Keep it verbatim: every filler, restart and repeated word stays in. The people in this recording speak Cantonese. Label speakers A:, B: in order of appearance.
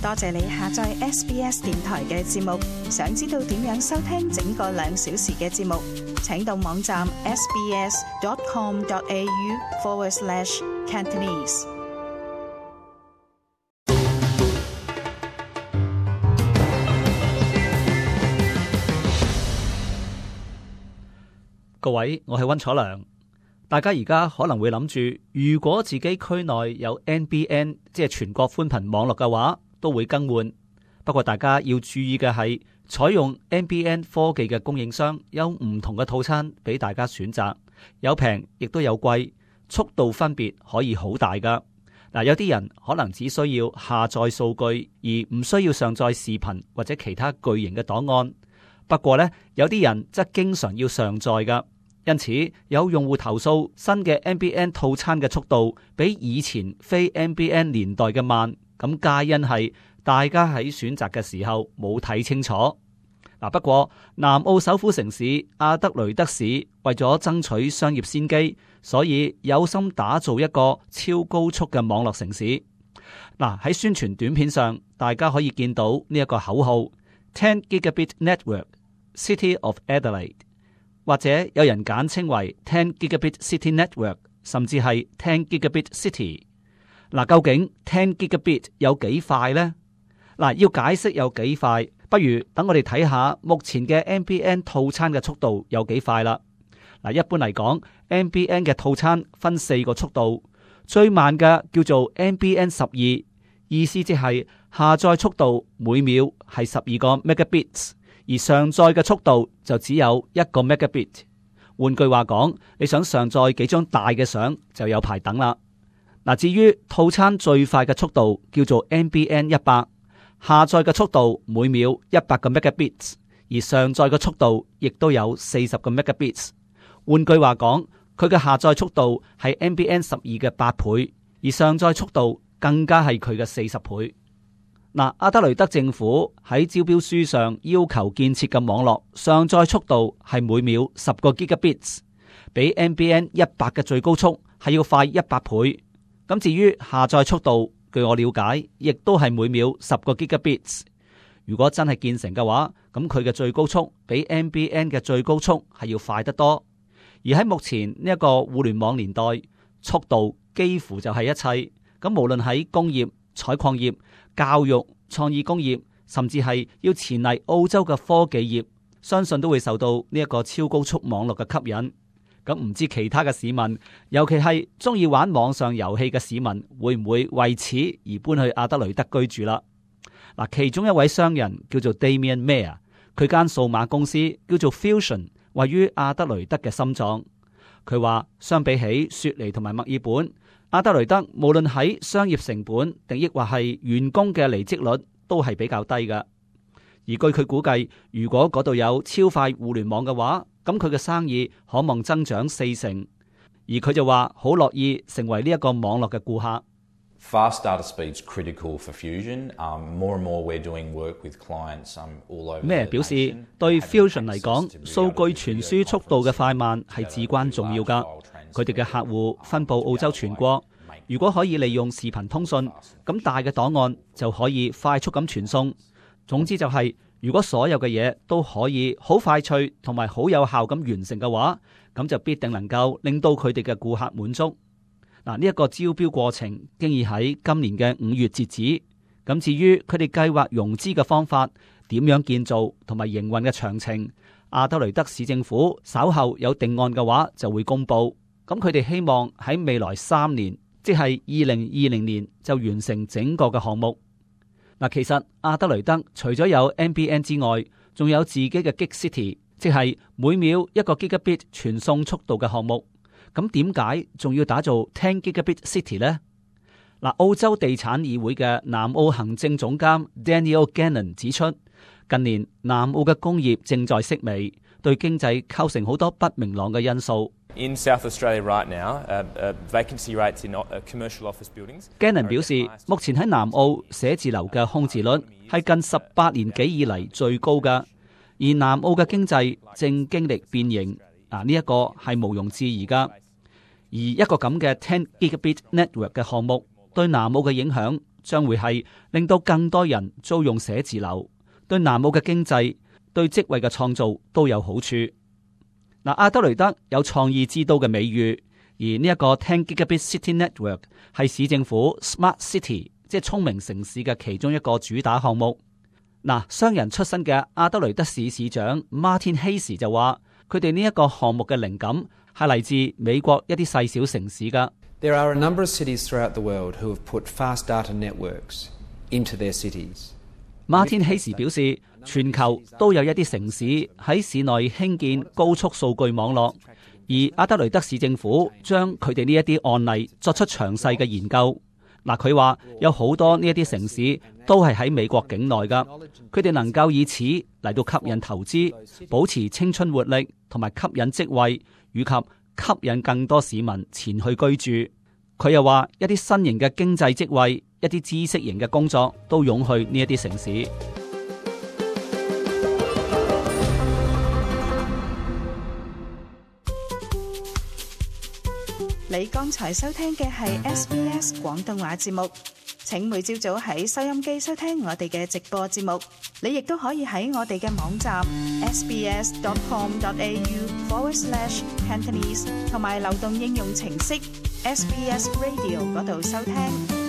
A: 多謝你下載 S B S 電台嘅節目。想知道點樣收聽整個兩小時嘅節目，請到網站 sbs.com.au forward slash Cantonese。
B: 各位，我係溫楚良。大家而家可能會諗住，如果自己區內有 N B N， 即係全國寬頻網絡嘅話，都會更換。不過大家要注意嘅係，採用 N B N 科技嘅供應商有唔同嘅套餐俾大家選擇，有平亦都有貴，速度分別可以好大噶。嗱，有啲人可能只需要下載數據，而唔需要上載視頻或者其他巨型嘅檔案。不過呢，有啲人則經常要上載噶。因此，有用戶投訴新嘅 N B N 套餐嘅速度比以前非 N B N 年代嘅慢，咁皆因係大家喺選擇嘅時候冇睇清楚。嗱，不過南澳首府城市阿德雷德市為咗爭取商業先機，所以有心打造一個超高速嘅網絡城市。嗱，喺宣傳短片上，大家可以見到呢一個口號 ten gigabit network City of Adelaide。或者有人簡稱為ten gigabit city network， 甚至係ten gigabit city。嗱，究竟ten gigabit 有幾快呢？嗱，要解釋有幾快，不如等我哋睇下目前嘅 N B N 套餐嘅速度有幾快啦。嗱，一般嚟講 ，N B N 嘅套餐分四個速度，最慢嘅叫做 N B N 十二，意思即係下載速度每秒係十二個 megabits。而上載嘅速度就只有一個 megabit。換句話講，你想上載幾張大嘅相就有排等啦。嗱，至於套餐最快嘅速度叫做 N B N 一百，下載嘅速度每秒一百個 megabits， 而上載嘅速度亦都有四十個 megabits。換句話講，佢嘅下載速度係 N B N 十二嘅八倍，而上載速度更加係佢嘅四十倍。嗱，阿德雷德政府喺招標書上要求建設嘅網絡上載速度係每秒十個 gigabits， 比 N B N 一百嘅最高速係要快一百倍。咁至於下載速度，據我了解，亦都係每秒十個 gigabits。如果真係建成嘅話，咁佢嘅最高速比 N B N 嘅最高速係要快得多。而喺目前呢一個互聯網年代，速度幾乎就係一切。咁無論喺工業、採礦業、教育、創意工業，甚至係要前嚟澳洲嘅科技業，相信都會受到呢一個超高速網絡嘅吸引。咁唔知其他嘅市民，尤其係中意玩網上遊戲嘅市民，會唔會為此而搬去阿德雷德居住啦？嗱，其中一位商人叫做 Damien Mayer， 佢間數碼公司叫做 Fusion， 位於阿德雷德嘅心臟。佢話相比起雪梨同埋墨爾本，阿德雷德無論喺商業成本定抑或係員工嘅離職率都係比較低㗎。而據佢估計，如果嗰度有超快互聯網嘅話，咁佢嘅生意可望增長四成。而佢就話好樂意成為呢一個網絡嘅顧客。
C: Fast data speed's critical for Fusion. Um, more and more we're doing work with clients um, all over.
B: 咩表示對 Fusion 嚟講，數據傳輸速度嘅快慢係至關重要㗎。佢哋嘅客戶分佈澳洲全國，如果可以利用視頻通訊，咁大嘅檔案就可以快速咁傳送。總之就係、是，如果所有嘅嘢都可以好快脆同埋好有效咁完成嘅話，咁就必定能夠令到佢哋嘅顧客滿足。嗱，呢一個招標過程經已喺今年嘅五月截止。咁至於佢哋計劃融資嘅方法、點樣建造同埋營運嘅詳情，阿德雷德市政府稍後有定案嘅話就會公布。咁佢哋希望喺未來三年，即係二零二零年就完成整個嘅項目。嗱，其實阿德雷德除咗有 N B N 之外，仲有自己嘅 Gig City， 即係每秒一個 Gigabit 傳送速度嘅項目。咁點解仲要打造ten Gigabit City 呢？嗱，澳洲地產議會嘅南澳行政總監 Daniel Gannon 指出，近年南澳嘅工業正在式微，對經濟構成好多不明朗嘅因素。
D: In South Australia right now, uh, uh, vacancy rates in uh, commercial office buildings.
B: Gannon 表示，目前喺南澳寫字樓嘅空置率係近十八年幾以嚟最高㗎，而南澳嘅經濟正經歷變形，啊呢一個係毋庸置疑㗎。而一個咁嘅ten Gigabit Network 嘅項目對南澳嘅影響，將會係令到更多人租用寫字樓，對南澳嘅經濟、對職位嘅創造都有好處。嗱，阿德雷德有創意之都嘅美譽，而呢一個ten Gigabit City Network 係市政府 Smart City， 即係聰明城市嘅其中一個主打項目。嗱，商人出身嘅阿德雷德市市長 Martin Hayes 就話，佢哋呢一個項目嘅靈感係嚟自美國一啲細小城市噶。
E: There are a number of cities throughout the world who have put fast data networks into their cities.
B: Martin Hayes 表示，全球都有一啲城市喺市內興建高速數據網絡，而阿德雷德市政府將佢哋呢一啲案例作出詳細嘅研究。嗱，佢話有好多呢一啲城市都係喺美國境內噶，佢哋能夠以此嚟到吸引投資，保持青春活力，同埋吸引職位，以及吸引更多市民前去居住。佢又話一啲新型嘅經濟職位，一啲知識型嘅工作都湧去呢一啲城市。
A: 你剛才收聽嘅係 S B S 廣東話節目，請每朝早喺收音機收聽我哋嘅直播節目。你亦都可以喺我哋嘅網站 sbs.com.au forward slash Cantonese 同埋流動應用程式 S B S Radio 嗰度收聽。